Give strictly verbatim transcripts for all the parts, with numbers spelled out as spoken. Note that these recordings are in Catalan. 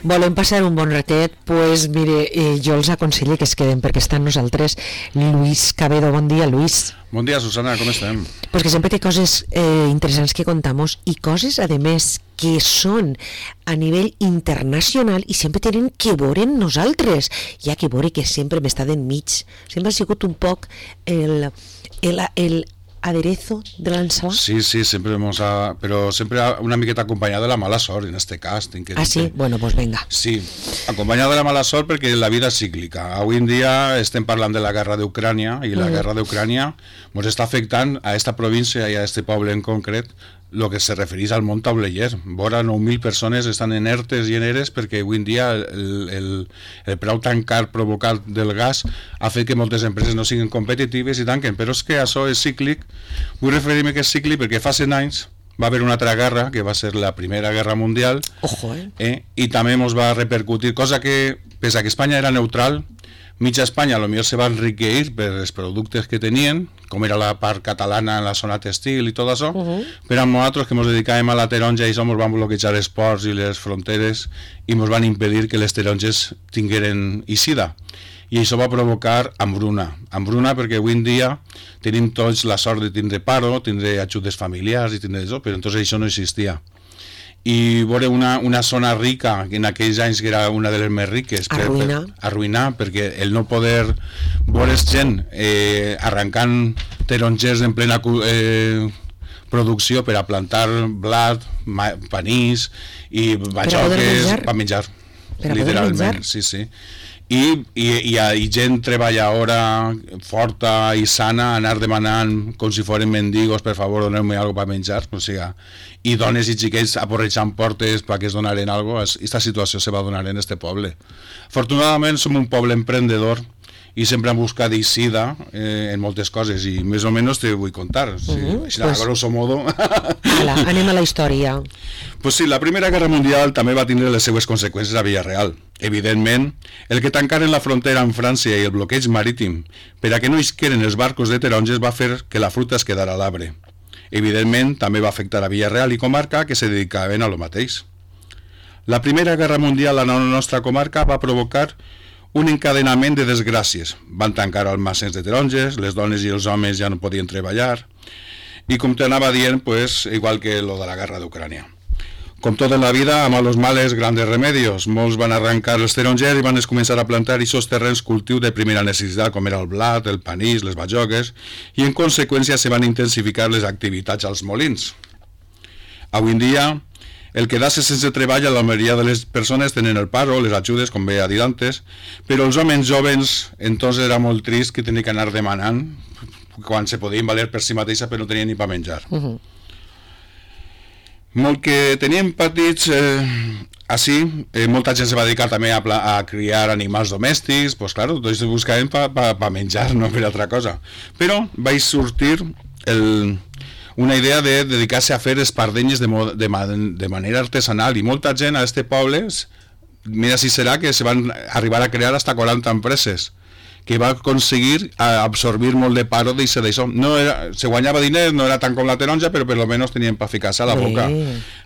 Volem passar un bon ratet, pues mire, eh, jo els aconsello que es queden perquè estan nosaltres. Lluís Cabedo, bon dia, Lluís. Bon dia, Susana, com estem? Pues que sempre té coses eh, interessants que contamos i coses, a més, que són a nivell internacional i sempre tenen que veure en nosaltres. Hi ha que veure que sempre m'està d'enmig. Sempre ha sigut un poc el, el, el aderezo de l'ensalada. Sí, sí, sempre hemos a, pero siempre una miqueta acompañado de la mala sort, en este cas. Que ah, sí? Bueno, pues venga. Sí, acompañado de la mala sort perquè la vida és cíclica. Avui en dia estem parlant de la guerra d'Ucrània i la mm. guerra d'Ucrània ens està afectant a esta província i a este poble en concret el que se refereix al món tauleller. Vora nou mil persones estan en ertes i en eres perquè avui en dia el, el, el preu tan car provocat del gas ha fet que moltes empreses no siguin competitives i tanquen, però és que això és cíclic. Vull referir-me que és cíclic perquè fa cent anys va haver una altra guerra, que va ser la Primera Guerra Mundial. Ojo, eh? eh i també ens va repercutir, cosa que, pese a que Espanya era neutral, mitja Espanya potser se va enriqueir per els productes que tenien, com era la part catalana en la zona textil i tot això, uh -huh. però a nosaltres que ens dedicàvem a la taronja i això ens van bloquejar els ports i les fronteres i ens van impedir que les taronges tingueren eixida. I això va provocar hambruna. Hambruna perquè avui en dia tenim tots la sort de tindre paro, tindre ajudes familiars i tindre això, però entonces això no existia. I veure una, una zona rica, que en aquells anys que era una de les més riques, per, arruïnar. Per, arruïnar, perquè el no poder veure gent eh, arrencant tarongers en plena eh, producció per a plantar blat, ma, panís i bajoques per menjar, per literalment, menjar. sí, sí. I, i, i, i gent treballadora forta i sana anar demanant com si foren mendigos, per favor doneu-me algo per menjar, o sigui, i dones i xiquets aporrejant portes perquè es donaren algo. Esta situació se va donar en este poble. Afortunadament som un poble emprendedor i sempre hem buscat eixida eh, en moltes coses i més o menys te vull contar. Sí, uh-huh. Així, pues, a grosso modo. Hola, anem a la història. Pues sí, la Primera Guerra Mundial també va tindre les seues conseqüències a Villarreal. Evidentment, el que tancaren la frontera amb França i el bloqueig marítim per a que no isqueren els barcos de taronges va fer que la fruita es quedara a l'arbre. Evidentment, també va afectar a Villarreal i comarca que se dedicaven a lo mateix. La Primera Guerra Mundial a la nostra comarca va provocar un encadenament de desgràcies. Van tancar almacens de taronges, les dones i els homes ja no podien treballar, i com t'anava dient, pues, igual que lo de la guerra d'Ucrània. Com tot en la vida, a malos males, grandes remedios. Molts van arrencar els tarongers i van començar a plantar aquests terrenys cultiu de primera necessitat, com era el blat, el panís, les bajoques, i en conseqüència se van intensificar les activitats als molins. Avui en dia, el quedar-se sense treball, la majoria de les persones tenen el paro, les ajudes, com bé ha dit antes, però els homes jovens, entonces era molt trist que tenien que anar demanant quan se podien valer per si mateixa però no tenien ni per menjar. Uh-huh. Molt que teníem petits, eh, així, eh, molta gent se va dedicar també a, a criar animals domèstics, pues claro, tots se buscaven per pa, pa menjar, no per altra cosa. Però vaig sortir el... una idea de dedicar-se a fer espardenyes de, de, de manera artesanal i molta gent a este poble, mira si serà que se van arribar a crear hasta quaranta empreses que va aconseguir absorbir molt de paro d'això d'això. No era, se guanyava diners, no era tant com la taronja, però per lo menos tenien per ficar-se a la boca.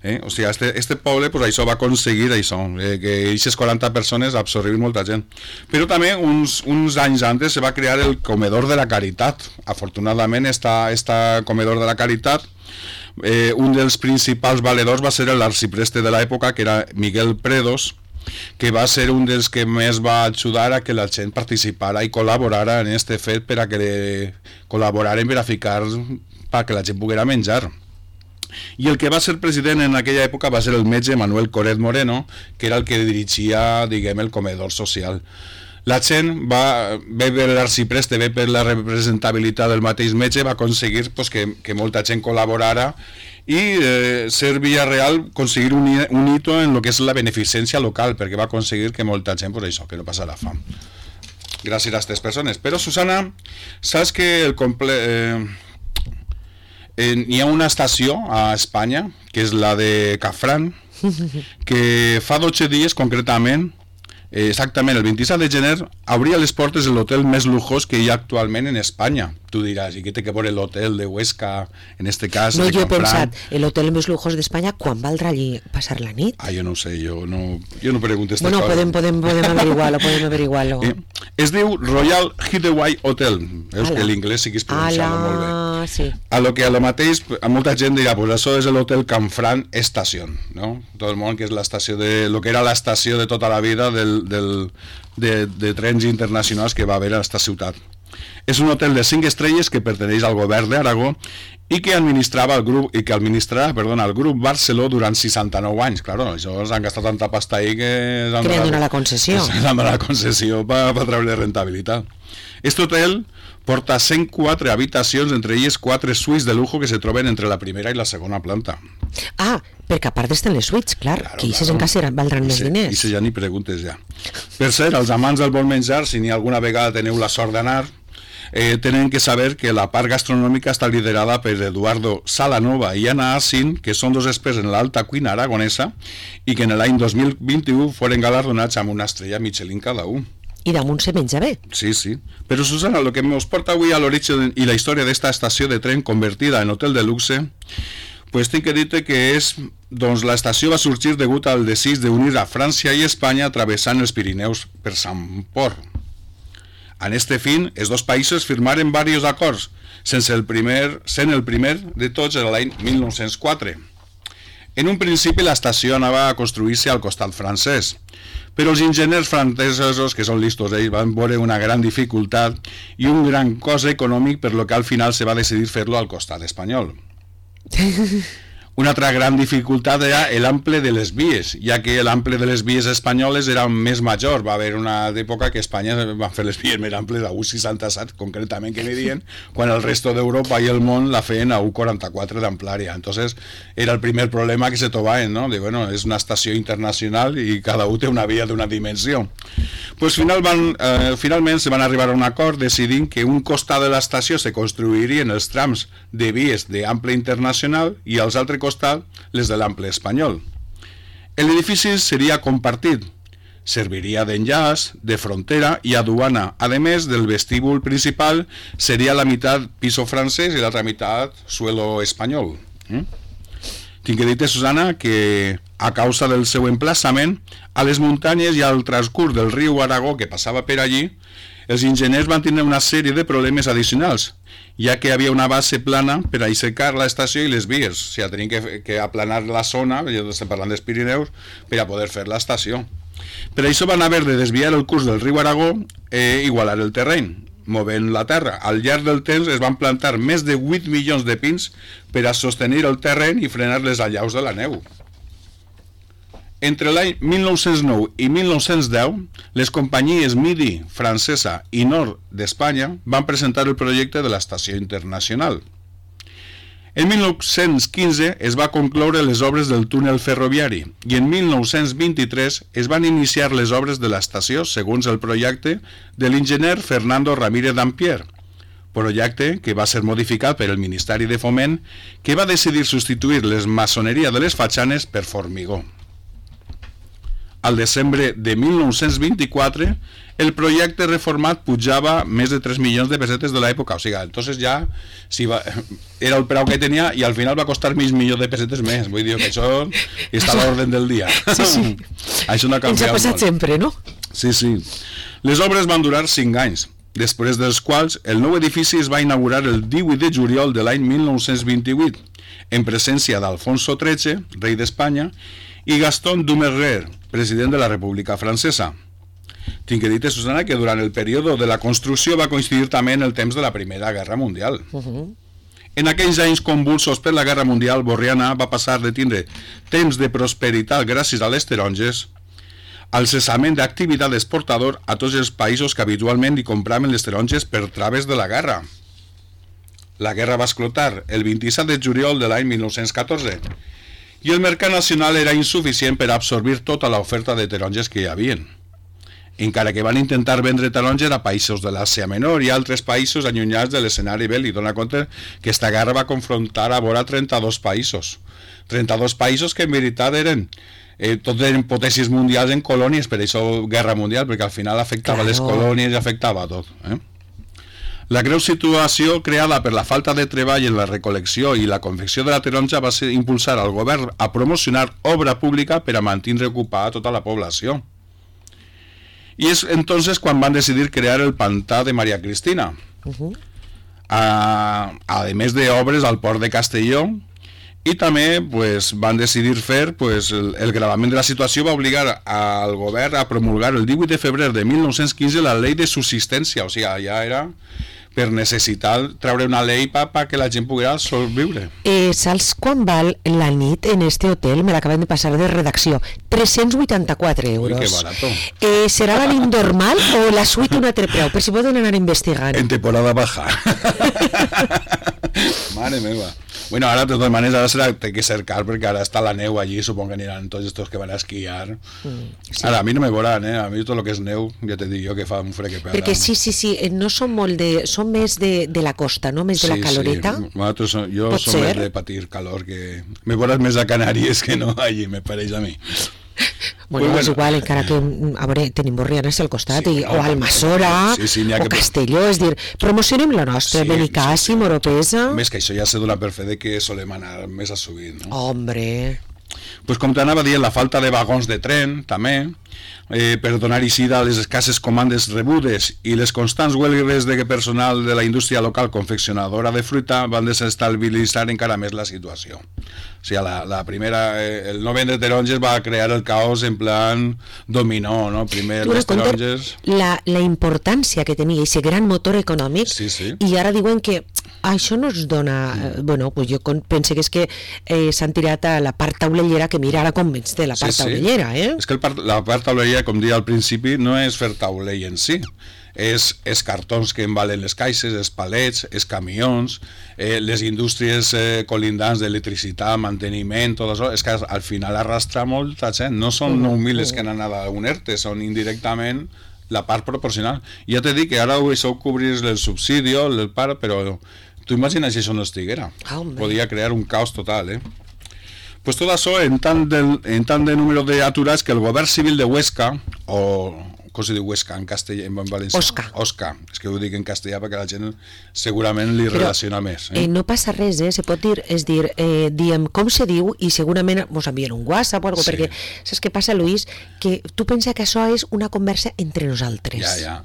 Eh? O sigui, este, este poble pues, això va aconseguir això, eh, que aquestes quaranta persones absorbir molta gent. Però també uns, uns anys antes se va crear el Comedor de la Caritat. Afortunadament, esta, esta Comedor de la Caritat, eh, un dels principals valedors va ser l'arxipreste de l'època, que era Miguel Predos, que va ser un dels que més va ajudar a que la gent participara i col·laborara en este fet per a que col·laboraren per a ficar perquè la gent poguera menjar. I el que va ser president en aquella època va ser el metge Manuel Coret Moreno, que era el que dirigia, diguem, el comedor social. La gent va, bé per l'arxipreste, bé per la representabilitat del mateix metge, va aconseguir pues, que, que molta gent col·laborara i eh, ser Villarreal aconseguir un, un hito en lo que és la beneficència local, perquè va aconseguir que molta gent, pues això, que no passarà fam. Gràcies a aquestes persones. Però, Susana, saps que el comple... Eh, eh, hi ha una estació a Espanya, que és la de Cafrán, que fa dotze dies, concretament, eh, exactament el vint-i-set de gener, obria les portes de l'hotel més lujós que hi ha actualment en Espanya. Tu diràs, i què té que veure l'hotel de Huesca, en este cas, no, de jo he Canfranc? pensat, l'hotel més lujós d'Espanya, quan valdrà allí passar la nit? Ah, jo no ho sé, jo no, jo no pregunto esta bueno, cosa. podem, podem, podem averiguar-lo, podem averiguar-lo. Eh, es diu Royal Hideaway Hotel. Veus Ala. que l'inglès sí que és pronunciar-lo molt bé. Sí. A lo que a lo mateix, a molta gent dirà, pues això és l'hotel Canfranc Estación, no? Tot el món, que és l'estació de, lo que era l'estació de tota la vida del, del, de, de trens internacionals que va haver a aquesta ciutat. És un hotel de cinc estrelles que perteneix al govern d'Aragó i que administrava el grup i que administrarà, perdona, el grup Barceló durant seixanta-nou anys. Claro, això s'han gastat tanta pasta ahí que que li han donat la concessió. S'han donat la concessió per pa treure rentabilitat. Este hotel porta cent quatre habitacions, entre elles quatre suites de lujo que se troben entre la primera i la segona planta. Ah, perquè a part estan les suites, clar, claro, que aquestes claro. En casa valdran més diners. I se ja ni preguntes ja. Per cert, els amants del bon menjar, si ni alguna vegada teniu la sort d'anar, eh, tenen que saber que la part gastronòmica està liderada per Eduardo Salanova i Ana Assin, que són dos experts en l'alta cuina aragonesa i que en l'any dos mil vint-i-u foren galardonats amb una estrella Michelin cada un. I damunt se menja bé. Sí, sí. Però, Susana, el que ens porta avui a l'origen i la història d'esta estació de tren convertida en hotel de luxe, pues tinc que dir-te que és, doncs la estació va sorgir degut al desig d'unir a França i Espanya travessant els Pirineus per Sant Port. En este fin, els dos països firmaren diversos acords, sense el primer, sent el primer de tots l'any mil nou-cents quatre. En un principi l'estació anava a construir-se al costat francès, però els enginyers francesos, que són listos ells, van veure una gran dificultat i un gran cost econòmic, per lo que al final se va decidir fer-lo al costat espanyol. Una altra gran dificultat era l'ample de les vies, ja que l'ample de les vies espanyoles era més major. Va haver una època que Espanya va fer les vies més amples a u seixanta-set, concretament, que n'hi dient, quan el resto d'Europa i el món la feien a u quaranta-quatre d'amplària. Entonces, era el primer problema que se trobaven, no? De, bueno, és una estació internacional i cada un té una via d'una dimensió. Pues final van, eh, finalment se van arribar a un acord decidint que un costat de l'estació se construirien els trams de vies d'ample internacional i els altres costat les de l'ample espanyol. L'edifici seria compartit, serviria d'enllaç, de frontera i aduana. A més, del vestíbul principal seria la meitat piso francès i l'altra meitat suelo espanyol. Mm? Tinc que dir-te, Susana, que a causa del seu emplaçament, a les muntanyes i al transcurs del riu Aragó que passava per allí, els enginyers van tenir una sèrie de problemes addicionals, ja que hi havia una base plana per a aixecar l'estació i les vies. O sigui, tenien que, que aplanar la zona, ja estem parlant dels Pirineus, per a poder fer l'estació. Per això van haver de desviar el curs del riu Aragó i igualar el terreny, movent la terra. Al llarg del temps es van plantar més de vuit milions de pins per a sostenir el terreny i frenar les allaus de la neu. Entre l'any mil nou-cents nou i mil nou-cents deu, les companyies Midi, francesa i Nord d'Espanya van presentar el projecte de l'estació internacional. En mil nou-cents quinze es va concloure les obres del túnel ferroviari i en mil nou-cents vint-i-tres es van iniciar les obres de l'estació segons el projecte de l'enginyer Fernando Ramírez Dampier, projecte que va ser modificat per el Ministeri de Foment, que va decidir substituir les maçoneria de les fatxanes per formigó. Al desembre de mil nou-cents vint-i-quatre, el projecte reformat pujava més de tres milions de pessetes de l'època. O sigui, entonces ja si va, era el preu que tenia i al final va costar mig milió de pessetes més. Vull dir que això està a l'ordre del dia. Sí, sí. Això no ha canviat molt. Ens ha passat molt. sempre, no? Sí, sí. Les obres van durar cinc anys, després dels quals el nou edifici es va inaugurar el divuit de juliol de l'any mil nou-cents vint-i-vuit, en presència d'Alfonso tretze, rei d'Espanya, i Gaston Doumergue, president de la República Francesa. Tinc que dir-te, Susana, que durant el període de la construcció va coincidir també en el temps de la Primera Guerra Mundial. Uh-huh. En aquells anys convulsos per la Guerra Mundial, Borriana va passar de tindre temps de prosperitat gràcies a les taronges al cessament d'activitat exportador a tots els països que habitualment hi compraven les taronges per traves de la guerra. La guerra va esclatar el vint-i-set de juliol de l'any mil nou-cents catorze i el mercat nacional era insuficient per absorbir tota l'oferta de taronges que hi havia. Encara que van intentar vendre taronges a països de l'Àsia Menor i altres països allunyats de l'escenari bèl·lic. Dona compte que esta guerra va confrontar a vora trenta-dos països. trenta-dos països que en veritat eren eh, tot eren potències mundials en colònies, per això Guerra Mundial, perquè al final afectava claro. les colònies i afectava a tot. Eh? La greu situació creada per la falta de treball en la recol·lecció i la confecció de la taronja va ser impulsar al govern a promocionar obra pública per a mantenir ocupada tota la població. I és entonces quan van decidir crear el pantà de Maria Cristina. Uh-huh. A, a més d'obres al port de Castelló, i també pues, van decidir fer pues, el, el gravament de la situació va obligar al govern a promulgar el divuit de febrer de mil nou-cents quinze la llei de subsistència, o sigui, ja era per necessitar treure una llei per pa que la gent poguera sobreviure. Eh, saps quan val la nit en este hotel? Me l'acaben de passar de redacció. tres-cents vuitanta-quatre euros. Ui, que barato. Eh, serà la nit normal o la suite un altre preu? Per si poden anar investigant. En temporada baja. Mare meva. Bueno, ara de totes maneres ara serà, té que ser car perquè ara està la neu allí, supongo que aniran tots estos que van a esquiar. Mm, sí. Ara a mi no me veuran, eh? A mi tot el que és neu, ja te dic jo que fa un fred que pela. Perquè sí, sí, sí, no són molt de... són més de, de la costa, no? Més de sí, la caloreta. Sí, nosaltres, jo som ser? més de patir calor que... Me veuràs més a Canàries que no allí, me pareix a mi. Bueno, pues és bueno. igual, encara que a veure, tenim Borrianes al costat, sí, i, no, o Almassora, sí, sí, o que... Castelló, és dir, promocionem la nostra, sí, Benicàssim, sí, sí. Oropesa... Més que això ja se dona per fer de que solem anar més a sovint, no? Hombre... Pues com t'anava dient, la falta de vagons de tren, també, eh, per donar eixida a les escasses comandes rebudes i les constants huelgues de personal de la indústria local confeccionadora de fruita van desestabilitzar encara més la situació. O sigui, la, la primera, eh, el no vendre taronges va crear el caos en plan dominó, no? Primer tu les taronges... La, la importància que tenia aquest gran motor econòmic, sí, sí. I ara diuen que això no es dona... Eh, bueno, pues jo penso que és que eh, s'han tirat a la part taulellera, que mira ara com ets de la part sí, taulellera, eh? És que el part, la part taulellera, com deia al principi, no és fer taulell en si, és, és cartons que embalen les caixes, és palets, és camions, eh, les indústries eh, colindants d'electricitat, manteniment, tot això, és que al final arrastra molta gent, no són nou mil que han anat a un ERTE, són indirectament la part proporcional. Ja t'he dit que ara ho deixeu cobrir el subsidi, el part, però tu imagines si això no estiguera. Oh, podria crear un caos total, eh? Pues tot això en tant, del, en tant de número d'aturats que el govern civil de Huesca, o com se diu Huesca en castellà, en valencià? Osca. Osca, és que ho dic en castellà perquè la gent segurament li Però, relaciona més. Eh? Eh, no passa res, eh? Se pot dir, és dir, eh, diem com se diu i segurament mos envien un WhatsApp o alguna cosa, sí. Perquè saps què passa, Luis? Que tu pensa que això és una conversa entre nosaltres. Ja, ja.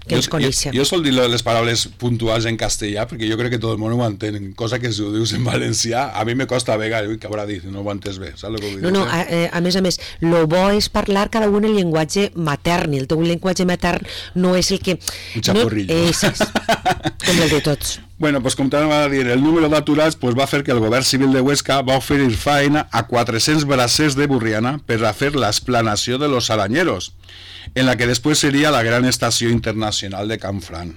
Que ens coneixem. Jo, jo sol dir les paraules puntuals en castellà perquè jo crec que tot el món ho entén, cosa que si ho dius en valencià a mi me costa a vegades, ui, que haurà dit, no ho entès bé, saps el que vull dir? No, no, a, a més a més, lo bo és parlar cada un el llenguatge matern, i el teu llenguatge matern no és el que... Un xaporrillo. No, és, és, com el de tots. Bueno, pues com t'anava a dir, el número d'aturats pues, va fer que el govern civil de Huesca va oferir feina a quatre-cents bracers de Borriana per a fer l'esplanació de los arañeros, en la que després seria la gran estació internacional de Canfranc.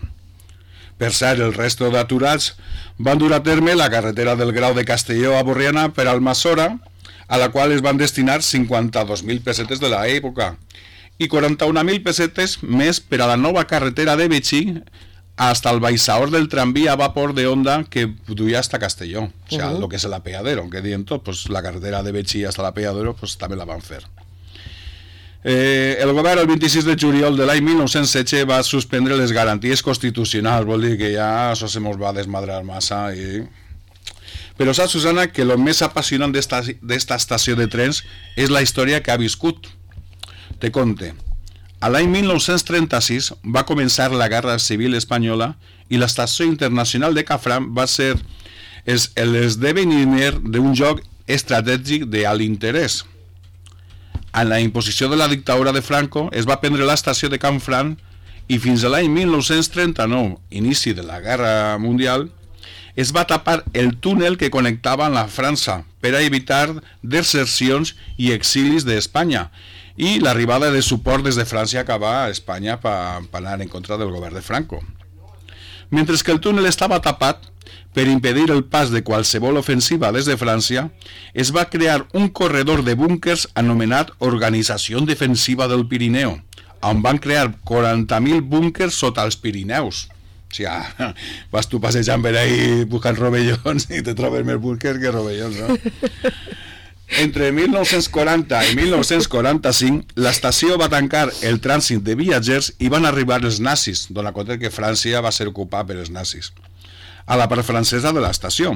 Per cert, el resto d'aturats van dur a terme la carretera del Grau de Castelló a Borriana per Almassora, a la qual es van destinar cinquanta-dos mil pessetes de l'època i quaranta-un mil pessetes més per a la nova carretera de Betxí hasta el baixador del tramvía a vapor de Honda que duia hasta Castelló, o sea, uh-huh. lo que es el apeadero, que dient tot, pues la carretera de Betxí hasta l'apeadero, pues també la van fer. Eh, el govern el vint-i-sis de juliol de l'any mil nou-cents setze va suspendre les garanties constitucionals, vol dir que ja això se mos va desmadrar massa i... Però saps, Susana, que el més apassionant d'esta estació de trens és la història que ha viscut. Te conte. A l'any mil nou-cents trenta-sis va començar la Guerra Civil Espanyola i l'estació internacional de Canfranc va ser l'esdeveniment d'un joc estratègic d'alt interès. En la imposició de la dictadura de Franco es va prendre l'estació de Canfranc i fins a l'any mil nou-cents trenta-nou, inici de la Guerra Mundial, es va tapar el túnel que connectava amb la França per a evitar desercions i exilis d'Espanya i l'arribada de suport des de França cap a Espanya per anar en contra del govern de Franco. Mentre que el túnel estava tapat, per impedir el pas de qualsevol ofensiva des de França, es va crear un corredor de búnkers anomenat Organització Defensiva del Pirineu, on van crear quaranta mil búnkers sota els Pirineus. O sigui, vas tu passejant per ahí buscant rovellons i te trobes més búnkers que rovellons, no? Entre mil nou-cents quaranta i mil nou-cents quaranta-cinc, l'estació va tancar el trànsit de viatgers i van arribar els nazis, donant compte que França va ser ocupada per els nazis, a la part francesa de l'estació,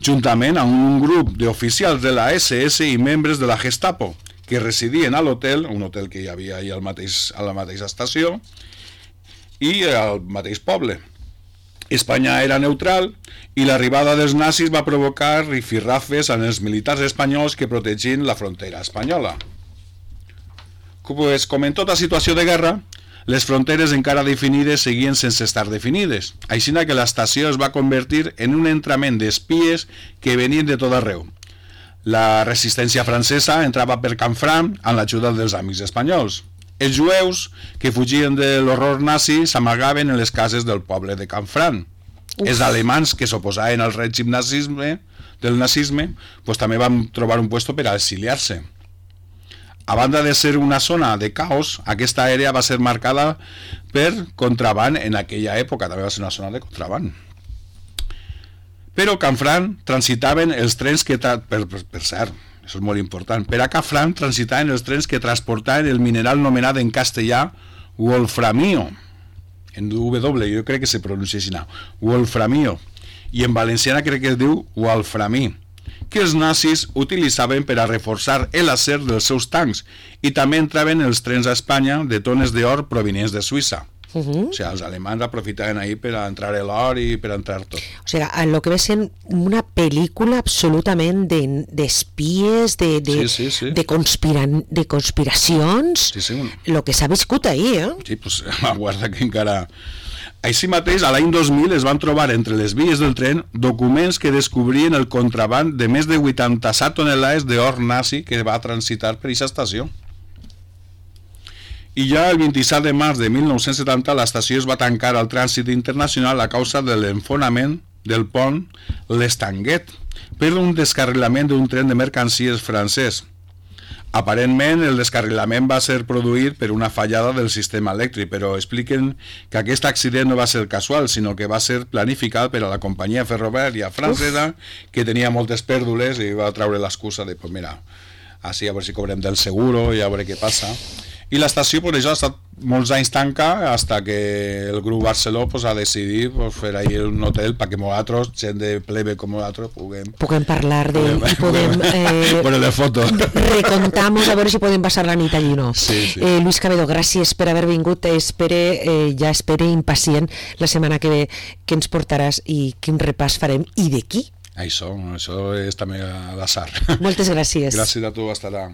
juntament amb un grup d'oficials de la esse esse i membres de la Gestapo, que residien a l'hotel, un hotel que hi havia al mateix, a la mateixa estació, i al mateix poble. Espanya era neutral i l'arribada dels nazis va provocar rifirrafes en els militars espanyols que protegien la frontera espanyola. Pues, com en tota situació de guerra, les fronteres encara definides seguien sense estar definides, així que l'estació es va convertir en un entrament d'espies que venien de tot arreu. La resistència francesa entrava per Canfranc amb l'ajuda dels amics espanyols. Els jueus que fugien de l'horror nazi s'amagaven en les cases del poble de Canfranc. Uf. Els alemans que s'oposaven al règim nazisme, del nazisme pues, també van trobar un puesto per a exiliar-se. A banda de ser una zona de caos, aquesta àrea va ser marcada per contraban en aquella època, també va ser una zona de contraban. Però a Canfranc transitaven els trens que... Tra... Per, per, per cert, això és molt important. Per a Canfranc transitaven els trens que transportaven el mineral nomenat en castellà wolframio. En W, jo crec que se pronuncia així, wolframio. I en valenciana crec que es diu wolframí, que els nazis utilitzaven per a reforçar l'acer dels seus tancs i també entraven els trens a Espanya de tones d'or provenients de Suïssa. Uh-huh. O sigui, els alemans aprofitaven ahí per a entrar l'or i per a entrar tot. O sigui, el que ve sent una pel·lícula absolutament d'espies, de, de, de, sí, sí, sí. de, conspira, de conspiracions, sí, sí. El que s'ha viscut ahir, eh? Sí, doncs aguarda que encara... Així mateix, a l'any dos mil es van trobar entre les vies del tren documents que descobrien el contraban de més de vuitanta-set tonelades d'or nazi que va transitar per aquesta estació. I ja el vint-i-set de març de mil nou-cents setanta l'estació es va tancar al trànsit internacional a causa de l'enfonament del pont l'Estanguet per un descarrilament d'un tren de mercancies francès. Aparentment el descarrilament va ser produït per una fallada del sistema elèctric, però expliquen que aquest accident no va ser casual, sinó que va ser planificat per a la companyia ferroviària francesa, que tenia moltes pèrdules i va treure l'excusa de, pues mira, així a veure si cobrem del seguro i a veure què passa. I l'estació per això ha estat molts anys tanca fins que el grup Barceló pues, ha decidit pues, fer ahí un hotel perquè nosaltres, gent de plebe com nosaltres, puguem... Puguem parlar de... Puguem, podem... Eh, bueno, de fotos. Recontamos a veure si podem passar la nit allí, no? Sí, sí. Eh, Luis Cabedo, gràcies per haver vingut. Espere, eh, ja espere impacient la setmana que ve que ens portaràs i quin repàs farem i de qui. Això, això és també a l'atzar. Moltes gràcies. Gràcies a tu, hasta ara.